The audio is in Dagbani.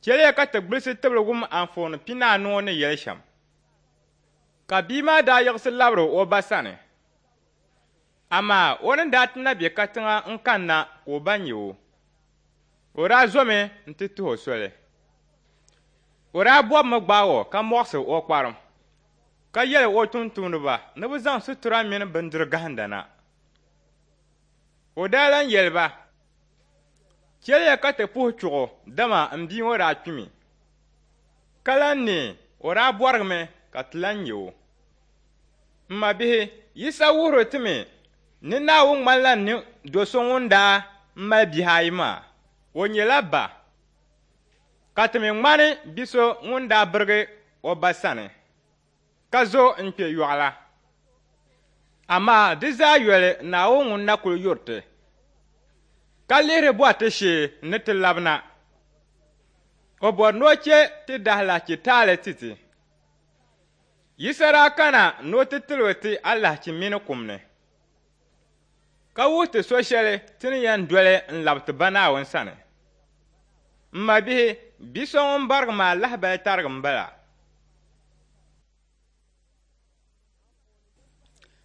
Chɛliya ka ti gbilisi tibili wum anfooni pinaanu ŋɔ ni yɛli shɛm. Ka bia maa daa yiɣisi labiri o ba sani. Amaa o ni daa ti na be katiŋa n-kanna ka o ba nya o, o daa zomi nti tuhi o soli. O daa bɔbimi gbaag o ka mɔɣisi o kparim, ka yɛli o tumtumdiba ni bɛ zaŋ situra mini bindiri gahinda na. O daa lan yɛli ba, Chɛliya ka ti puhi chuɣu, dama m bia ŋɔ daa kpimi, ka lan neei, o daa bɔrigimi ka ti lan nya o. M mabihi, Yisa wuhiri ti mi ni Naawuni ŋmanila ni do so ŋun daa mali bihi ayi maa. O nyɛla ba, ka ti mi ŋmani bi so ŋun daa birigi o ba sani ka zo n-kpe yɔɣu la. Amaa di zaa yoli Naawuni ŋun na kul yuri ti, ka lihiri bɔri ti shee ni ti labina. O bɔri ni o chɛ ti daalahichi taali ti ti. Yisa daa kana ni o ti tiligi ti alahichi mini kum ni, ka wuhi ti so shɛli ti ni yɛn doli n-labi ti Ba Naawuni sani. M mabihi, bi so ŋun barigi maa lahibali tarigi m-bala.